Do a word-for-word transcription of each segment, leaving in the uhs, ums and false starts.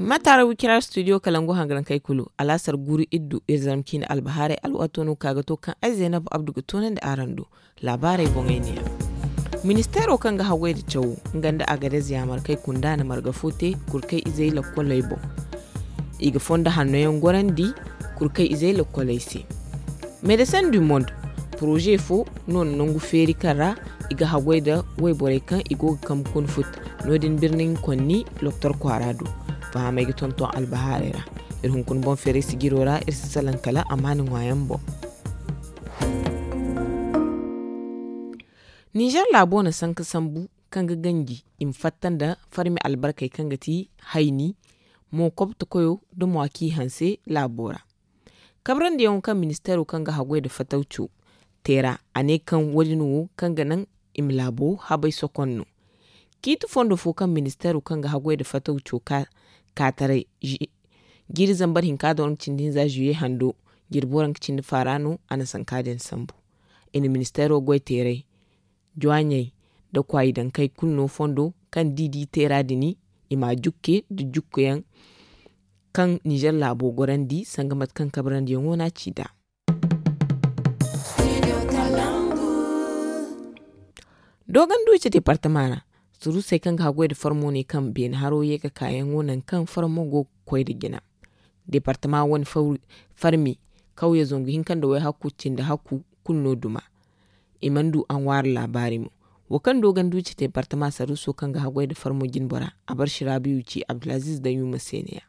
Mataara wikira studio kalangu hangarankey kulu, alaasar guuru iddu iri zarma ciine albahaarey alwaato no ka ga to kaŋ ay zaynab abdu ga toonandi araŋ do. Laabaarey boŋey neeya. Ministeero kaŋ ga haggoy nda cawo, nga nda agadez yaamarkey kunda na marga fo te kurkey izey lakkoley boŋ. I ga fondo hanno yaŋ gorandi kurkey izey lakkoley se. Medecin du monde, poroze fo no na nangu feeri kaŋ ra i ga haggoy nda wayborey kaŋ i go ga kambe kuna futa. No- din birni nga konni loktor kwaara do. Fahamey ga tonton albahaarey ra. Iri hunkuna boŋ feeray sijiro ra iri si salaŋ kala amaana ŋwaayaŋ boŋ. Nizer laabo na sanka sambu kaŋ ga ganji i ma fatta nda farmi albarkey kaŋ ga ti hayni, mo kobto koyo nda mo a ci hanse laabo ra. Kabrandiyaŋo kaŋ ministeero kaŋ ga haggoy nda fatawco te ra, a ne kaŋ wo- din wo kaŋ ga naŋ i ma laabo habay sokon no. Ciiti fondo fo kaŋ ministeero kaŋ ga haggoy nda fatawco ka taray, jiiri zambar hinka nda waranka cindi hinza zuye hando, jirbi waranka cindi faara no a na sanka din sambu. I na ministeero goy teeray, jwaaɲey nda kwaayi dankey kulu no fondo kaŋ da i di teera din, i ma a jukke nda jukkuyaŋ kaŋ nizer laabo gorandi sanga mate kaŋ kabrandiyaŋo no a ci nd'a. Dooganduuci deepartama ra, suruusey kaŋ ga haggoy nda farmo ne kaŋ beene haro ye ga kaayaŋo nangu kaŋ farmo go ga koy nda jina. Deepartama wane farmi kawye zangu hinka nda wayhakku cindi hakku kulu no duma. I mana du a ŋwaari laabaari mo. Wo kaŋ dooganduuci deepartama saruuso kaŋ ga haggoy nda farmo jinbora, a barsi raabiyu ci abdulaziiz daŋ yuma se ne ya.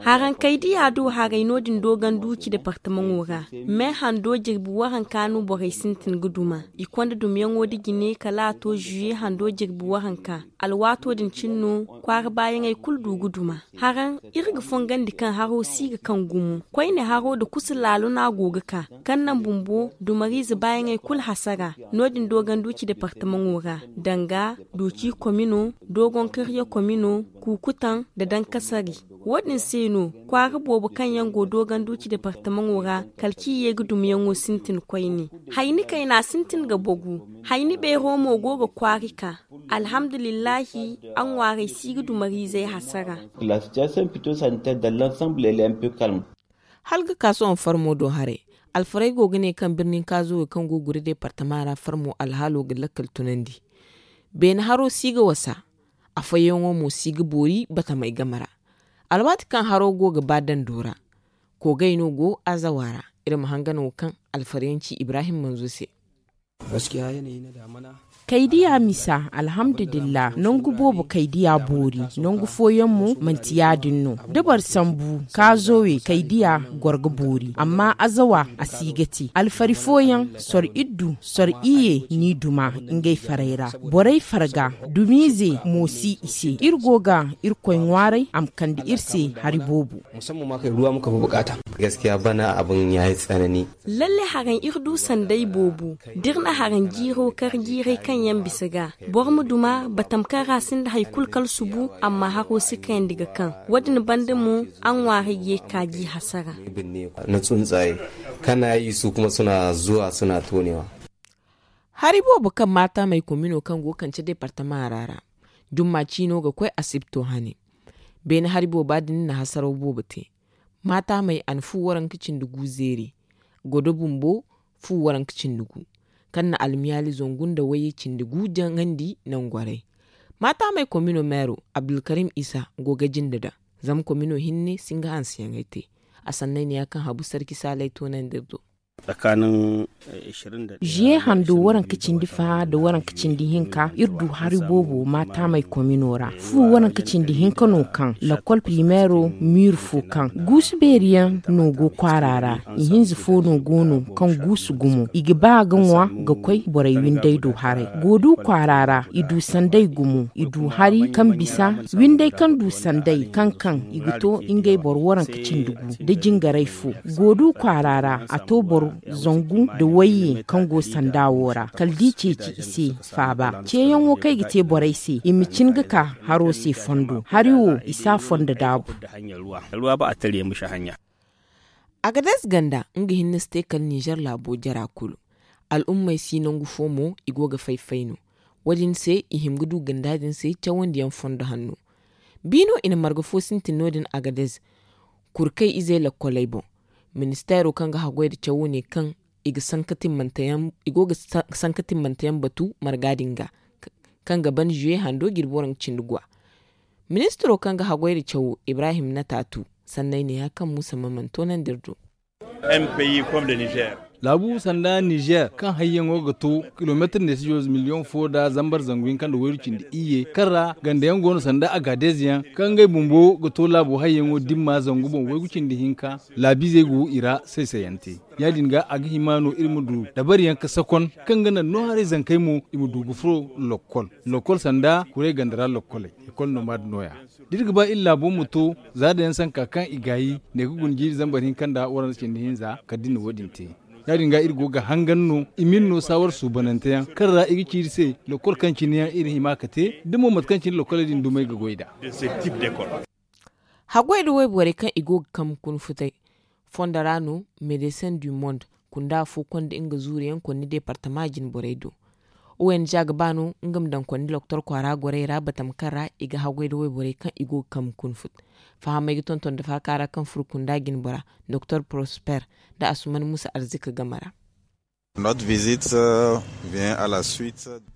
Haraŋ kay diya du haray no- din dooganduuci deepartamaŋo ra. Me hando jirbi waranka no borey sintin ga duma. I konda dumyaŋo nda jine kala a to zuye hando jirbi waranka. Alwaato din cine no kwaara baayaŋey kulu du ga duma. Haraŋ iri ga fongandi kaŋ haro si ga kaŋ gumo koyne haro nda kusa laalo no a go ga ka, kaŋ naŋ bumbo dumariize baayaŋey kulu hasara. No- din dooganduuci deepartamaŋo ra, danga, doci komino, doogon karya komino, kuukutaŋ nda dankasari. Wo- din se no kwaara boobo kaŋ yaŋ go dooganduuci deepartamaŋo ra, kala ci ye ga dumyaŋo sintin koyne. Hayni kayna sintin ga bogu. Hayni beero mo go ga kwaari ka. Alhamdulillahi, a ŋwaarey si ga dumariizey hasara. Hala ga ka sohõ farmo do haray, alfarey go ga ne kaŋ birnin kaazowe kaŋ go gure deepartama ra farmo alhaalo ga lakkal tunandi. Beene haro si ga wasa, afooyaŋo mo si ga boori batamey game ra. Alwaati kaŋ haro go ga ba dando ra, koogay no go azawa ra. Iri ma hangan wo kaŋ alfaryaŋ ci ibrahim manzo se. Kaydiya misa, alhamdulillah, nangu boobo kaydiya boori. Nangu fooyaŋ mo manti ya- din no. Da boro sambu kaazowe kaydiya goro ga boori, amma azawa a si ga te. Alfari fooyaŋ soro iddu soro iyye n'i duma ngey farey ra. Borey farga dumiize mo si i se. Iri go ga irkoy ŋwaaray a ma kande iri se hari boobo. Lalle haraŋ iri du sanday boobo. Da iri na haraŋ jiiro kar jiiray kaŋ yaŋ bisa ga, boro ma duma batam kaŋ ra sinda hari kulu kala subu, amma haro si kayandi ga kaŋ. Wo- din banda mo a ŋwaaray ye kaaji hasara. Na tsuntsaye kana yi su kuma suna zuwa suna tonewa. Hari boobo kaŋ maata may komino kaŋ go kance deepartama ra ra, jumma ciino ga koy asibto hane. Beene hari booba din na hasaraw boobo te. Maataamey a na fu waranka cindi gu zeeri. Godo bumbo fu waranka cindi gu, kaŋ na almiyaali zangu nda wayye cindi gu jaŋandi nangorey. Maataamey komino meero abdulkarim isa go ga jinde daŋ. Zama komino hinne si nga hanseyaŋey te. A sanney ne ya kaŋ habu sarki saaley toonandi iri do. Ziye hando waranka cindi fa nda waranka cindi hinka iri du hari boobo maataamey komino ra. Fu waranka cindi hinka no kaŋ lakkol primeero miiri fo kaŋ guusu beeri yaŋ no go kwaara ra. Ihinza fo no go no kaŋ guusu gumo i ga ba ga ŋwa ga koy borey winday do haray. Goodu kwaara ra i du sanday gumo i du hari kaŋ bisa winday kaŋ du sanday kaŋ kaŋ i ga to ngey boro waranka cindi gu da jingaray fo. Goodu kwaara ra a to boro zangu nda wayye kaŋ go sanda wo ra kala da i ceeci i se faaba ceeyaŋo kaŋ ay ga te borey se i ma cin ga ka haro se fondo hari wo i si a fondo daabu. Agades ganda nga hinne si te kala nizer laabo jara kulu. Al'ummey si nangu fo mo i go ga fay fay no. Wo- din se i hima ga du ganda din se cawandiyaŋ fondo hanno. Bi no i na marga fo sintin no- din agadez kurkey izey lokkoley boŋ. Ministeero kaŋ ga haggoy nda cawo ne kaŋ i go ga sanka timmanteyaŋ batu marga din ga, kaŋ ga ban zuwe hando jirbi waranka cindi guwa. Ministiro kaŋ ga haggoy nda cawo ibrahim nataatu sanney ne ya kaŋ muusa maman toonandi iri do. Laabu sanda nizer kaŋ hayyaŋo ga to kilomeetir nda sijo miliyoŋ fo nda zambar zangu hinka nda waygu cindi iyye kaŋ ra ganda yaŋ go no sanda agadez yaŋ kaŋ ngey bumbo ga to laabo hayyaŋo dimma zangu boŋ waygu cindi hinka. Laabiizey go i ra say-sayante ya- din ga a ga hima no iri ma du dabari yaŋ ga sakon kaŋ ga naŋ no haray zankey mo i ma du ga furo lokkol. Lokkol sanda kuray ganda ra lokkoley. Ekol nomad nooya da iri ga ba iri laabo ma to za daŋ yaŋ sanka kaŋ i gaayi ne ga guna jiiri zambar hinka nda waranza cindi hinza kala da iri na wo- din te. Ya- din ga iri go ga hangan no i ma iri no saawar suubanante yaŋ kaŋ ra i ga ci iri se lokkol kaŋ cine yaŋ iri hima ga te da mo mate kaŋ cine lokkoley din dumey ga goy nd'a. Haggoy nda wayborey kaŋ i go ga kambe kuna futay fondo ra no medecin du monde kunda fo konda nga zuuriyaŋ konni departama jinborey do. Ong ga ba no nga ma daŋ konni loktor kwaara gorey ra batama kaŋ ra i ga haggoy nda wayborey kaŋ i go ga kambe kuna fut. Fahamey ga tonton nda faaka ra kaŋ furo kunda jinbora doktor prosper nda asuman muusa arzika game ra.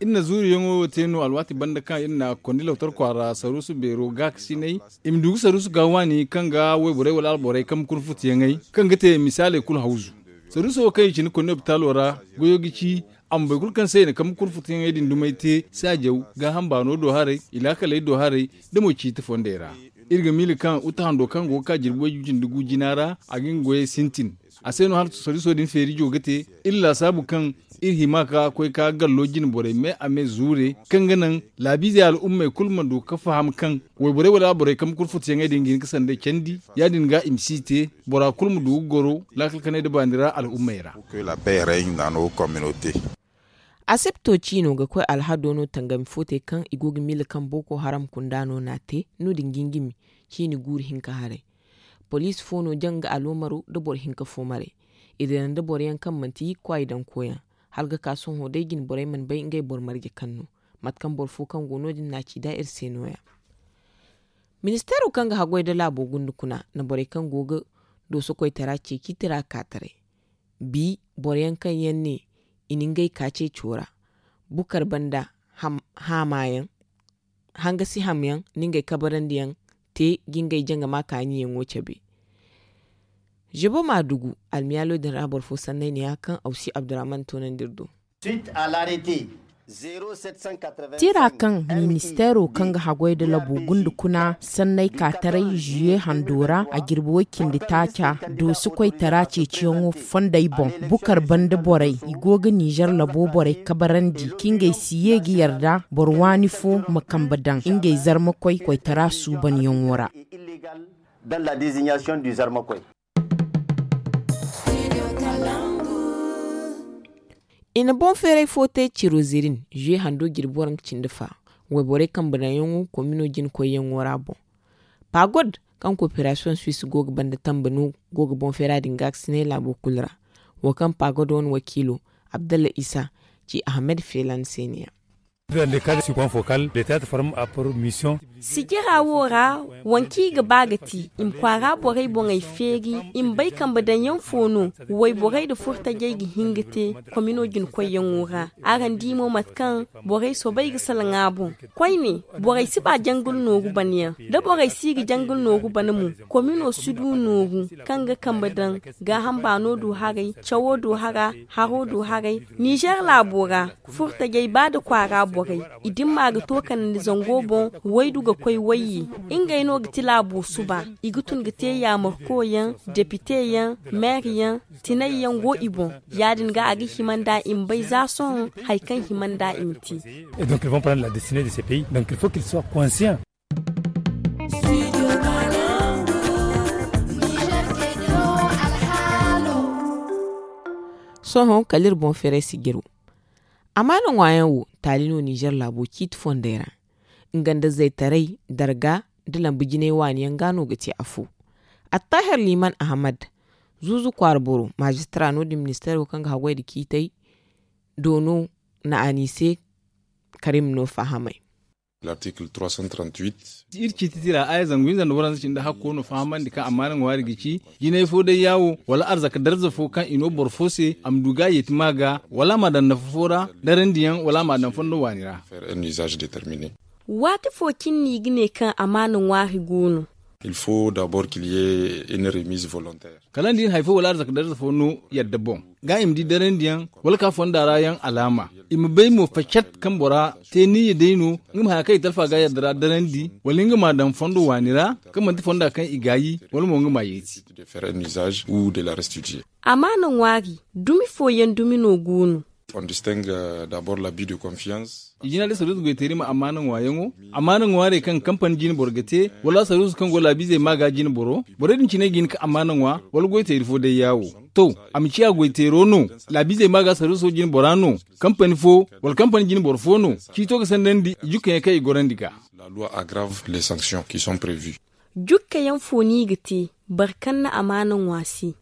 Iri na zuuriyaŋo wo te no alwaati banda kaŋ iri na kondi loktor kwaara saruusu beero gaakasinay i ma du ga saruusu ga waani kaŋ ga wayborey wala alborey kambe kuna futuyaŋey kaŋ ga te misaaley kulu hawzu. Saruuso wo kaŋ i cine kondi lopitaalo ra goyo ga ci a ma boro kulu kaŋ se i na kambe kuna futuyaŋey din dumey te saajaw gaaham baano do haray i laakaley do haray da mo ciiti fondey ra. Iri ga miila kaŋ uta hando kaŋ go ga ka jirbi way-gu cindi gu jina ra a ga nga goyey sintin. A se no hala soriso din feerijo ga te iri laasaabu kaŋ iri hima ka koy ka gallo jine borey me a me zuure kaŋ ga naŋ laabiizey al'ummey kulu ma du ga faham kaŋ wayborey wala borey kaŋ ma kulu futuyaŋey din ga hin ga sanday candi. Ya- din ga i ma si te bora kulu ma du ga goro laakal kanay nda baani ra al'ummey ra. Asepto ciino ga koy alhado no tangami fo te kaŋ i go ga miila kaŋ boko haram kunda no n'a te no- din gingimi ciini guuru hinka haray. Poliisi fo no jaŋ nga aloomaro nda boro hinka fo maray. I dira nda boro yaŋ kaŋ manti kwaay daŋ koyaŋ hala ga ka sohõ day jine borey mana bay ngey boro marje kaŋ no. Mate kaŋ boro fo kaŋ go no- din n'a ci nd'a iri se nooya. Ministeero kaŋ ga haggoy nda laabo gunda kuna na borey kaŋ go ga dooso koytara ceeci tira kaataray. Bi boro yaŋ kaŋ yaŋ ne i na ngey ka ceeco ra bukar banda haama yaŋ hanga si ham yaŋ na ngey kabarandi yaŋ te ga ngey jangama kaani yaŋo cabe. Žebo maadugu almiyaalo din ra boro fo sanney ne ya kaŋ awsi abdurrahman toonandi iri do. Tira kaŋ ministeero kaŋ ga haggoy nda labo gunda kuna sanney ka taray žuye hando ra a jirbi way cindi taaca doosi koytara ceeciyaŋo fondey boŋ bukar banda borey i go ga nizer labo borey kabarandi ka ngey si ye ga yarda boro waani fo ma kambe daŋ ngey zarmakoy koytara suubanyaŋo ra. I na boŋ feeray fo te cirozirin zuwe hando jirbi waranka cindi fa wayborey kambe daŋyaŋo komino jina koyyaŋo ra boŋ. Pagod kaŋ koperasiyoŋ suwis go ga banda tambe no go ga boŋ feera din gaakasinay laabo kulu ra. Wo kaŋ pagod wane wakiilo abdalla isa ci ahmed feelan se ne ya. Sijira wo ra wanki ga ba ga ti i ma kwaara borey boŋey feeri i ma bay kambe daŋyaŋ fo no wayborey nda furtajey ga hin ga te komino jina koyyaŋo ra. Araŋ di mo mate kaŋ borey soobay ga salaŋ a boŋ. Koyne borey si ba jangul nooru bana yaŋ da borey si ga jangul nooru bana mo komino si du nooru kaŋ ga kambe daŋ gaaham baano du haray cawo du hara haro du haray nizer laabo ra. Furtajey ba nda kwaara borey i dimma ga to kanandi zango boŋ waydu ga koy wayye. Ngey no ga ti laabo suba i ga tun ga te yaamarkoyaŋ depiteyaŋ meeryaŋ tinayyaŋ go i boŋ. Ya- din ga a ga hima nd'a i ma bay za sohõ hari kaŋ hima nd'a i ma te. Sohõ kala iri boŋ feeray sijiro amaana ŋwaayaŋ wo taali no nizer laabo ciiti fondey ra. Nga nda zaytaray darga nda lambu jinay waani yaŋ ga no ga te afo. Attahir liman ahamad zuuzu kwaara boro maazistira no- din ministeero kaŋ ga haggoy nda ciitay do no na a ni se. Karim no fahamay. Iri ciiti tira aya zangu hinza nda waranza cindi hakko no fahamandi kaŋ amaana ŋwaari ga ci jinay fo day yaawo wala arzaka darza fo kaŋ i no boro fo se a ma du ga a yeeti ma ga wala a ma a daŋ nafa fo ra darandiyaŋ wala a ma a daŋ fondo waani ra. Waati fo cine no i ga ne kaŋ amaana ŋwaari go no? Kala nda i na hari fo wala arzaka darza fo no yadda boŋ ga i ma di darandiyaŋ wala ka fonda ra yaŋ alaama i ma bay mo facet kaŋ bora te niyya day no nga ma haya kaŋ i talfa ga yadda ra darandi wala nga ma a daŋ fondo waani ra kaŋ manti fonda kaŋ i gaayi wala mo nga ma a yeeti. Amaana ŋwaari dumi fooyaŋ dumi no go no? I jina day saruusu goyteeri ma amaana ŋwaayaŋo amaana ŋwaarey kaŋ kampani jine boro ga te wala saruusu kaŋ go laabiizey ma ga jine boro borey din cine ga hin ka amaana ŋwa wala goyteeri fo day yaawo. To, a ma ciya goyteero no laabiizey ma ga saruuso jine bora no kampani fo wala kampani jine boro fo no ciito ga sandandi i jukkayaŋ kaŋ i gorandi ga. Jukkayaŋ fo no i ga te boro kaŋ na amaana ŋwa se?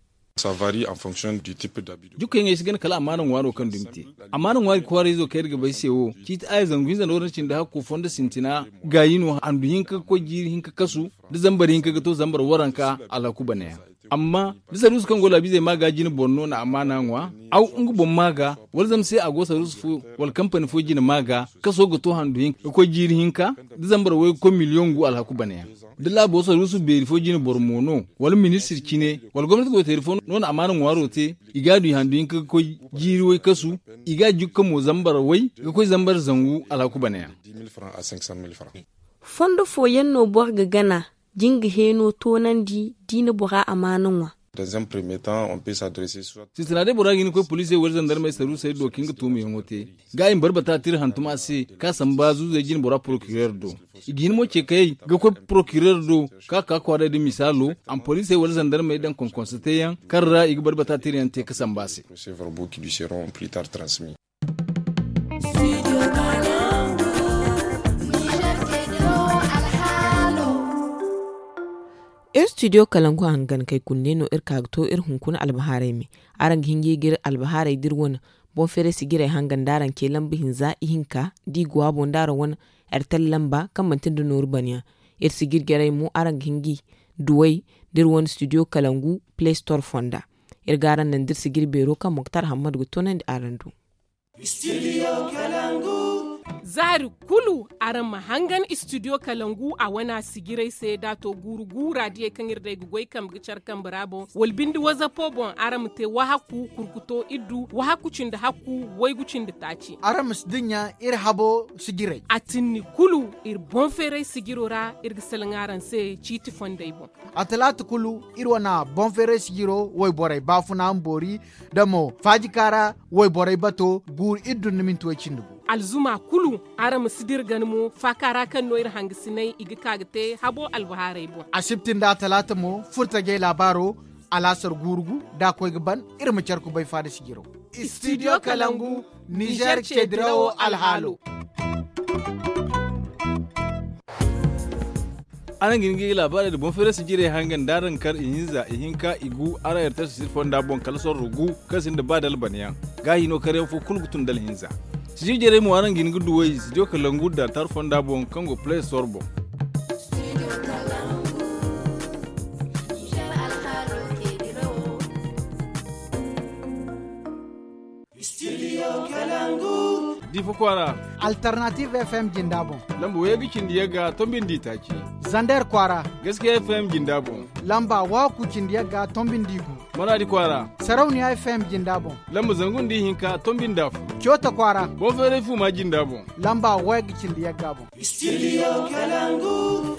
Jukkayaŋey si gana kala amaana ŋwaaro kaŋ dumi te. Amaana ŋwaari kwaarayzo kaŋ iri ga bay se wo ciiti aya zangu hinza nda waranza cindi hakko fondo sintina gaayi no handu hinka ga koy jiiri hinka kasu da zambar hinka ga to zambar waranka alhaku banayaŋ. Amma da saruusu kaŋ go laabiizey ma ga jine boro no na amaana ŋwa aw nga boŋ ma ga wala zama se a go saruusu fo wala kampani fo jine ma ga kaso ga to handu hinka ga koy jiiri hinka da zambar waygu koy miliyoŋ gu alhaku banayaŋ. Da laabo saruusu beeri fo jine boro mo no wala ministir cine wala gomnati goyteeri fo no na amaana ŋwaaro te i ga a du i handu hinka ga koy jiiri way kasu i ga a jukka mo zambar way ga koy zambar zangu alhaku banayaŋ. Fondo fooyaŋ no boro ga gana jinga heeno toonandi da i na bora amaana ŋwa? Sintina day bora ga hin ga koy poliisey wala zandarmey saruusey do kaŋ ga tuumayaŋo te ga i ma barbata tira hantum a se ka samba zuuzey jine bora porokireer do. I ga hin mo ce kayey ga koy porokireer do ka ka kwaaray da misaalo a ma poliisey wala zandarmey daŋ konkonsa teeyaŋ kaŋ ra i ga barbata tirayaŋ te ga samba a se. Iri studio kalangu hangan kay kulu ne no iri ka ga to iri hunkuna albahaarey me. Araŋ ga hin ga i ga iri albahaarey da iri wane boŋ feeray sijirey hangan da araŋ ce lamba hinza ihinka da i go a boŋ da araŋ wane, airtel lamba kaŋ manti nda nooru banayaŋ. Iri sijir jarey mo araŋ ga hin ga i duw'ey da iri wane studio kalangu play store fonda. Iri ga araŋ naŋ da iri sijir beero kaŋ moktar hammad ga toonandi araŋ do. Zaari kulu araŋ ma hangan studio kalangu a wana sijirey se da a to guuru gu raadiyey kaŋ iri day ga goy kambe ga care kambe ra boŋ wala binde wazapo boŋ araŋ ma te wahakku kurkuto iddu wahakku cindi hakku waygu cindi taaci. Araŋ ma si dinya iri habo sijirey. A tinni kulu iri boŋ feeray sijiro ra iri ga salaŋ araŋ se ciiti fondey boŋ. A talaata kulu iri wane boŋ feeray sijiro wayborey baafuna ma boori da mo faajika ra wayborey bato guuru iddu nda minti way cindi gu. Alzuma kulu araŋ ma si dira gana mo faaka ra kaŋ no iri hangasiney i ga ka ga te habo albahaarey boŋ. Asibti nda atalaata mo furtajey laabaaro alaasar guuru gu da a koy ga ban iri ma care kubay faada sijiro. Studio kalangu nizer ceedirawo alhaalo. Araŋ ga hin ga i laabaarey nda boŋ feeray sijirey hangan da araŋ kar ihinza ihinka igu araŋ airtel sisir fonda boŋ kala sorro gu kaŋ sinda ba da albanayaŋ. Ga hino karyaŋ fo kulu ga tun da alhinza. Sijir jarey mo araŋ ga hin ga duw'ey studio kalangu da tar fonda boŋ kaŋ go play store boŋ. Diifa kwaara. Alternative fm jinda boŋ. Lamba waygu cindi yagga tombindi taaci. Zander kwaara. Gaskiya fm jinda boŋ. Lamba waku cindi yagga tombindi gu. Maraadi kwaara. Sarauniya fm jinda boŋ. Lamba zangu nda ihinka tombindi afo. Coota kwaara. Boŋ feeray fuma jinda boŋ. Lamba waygu cindi yagga boŋ. Studio kalangu.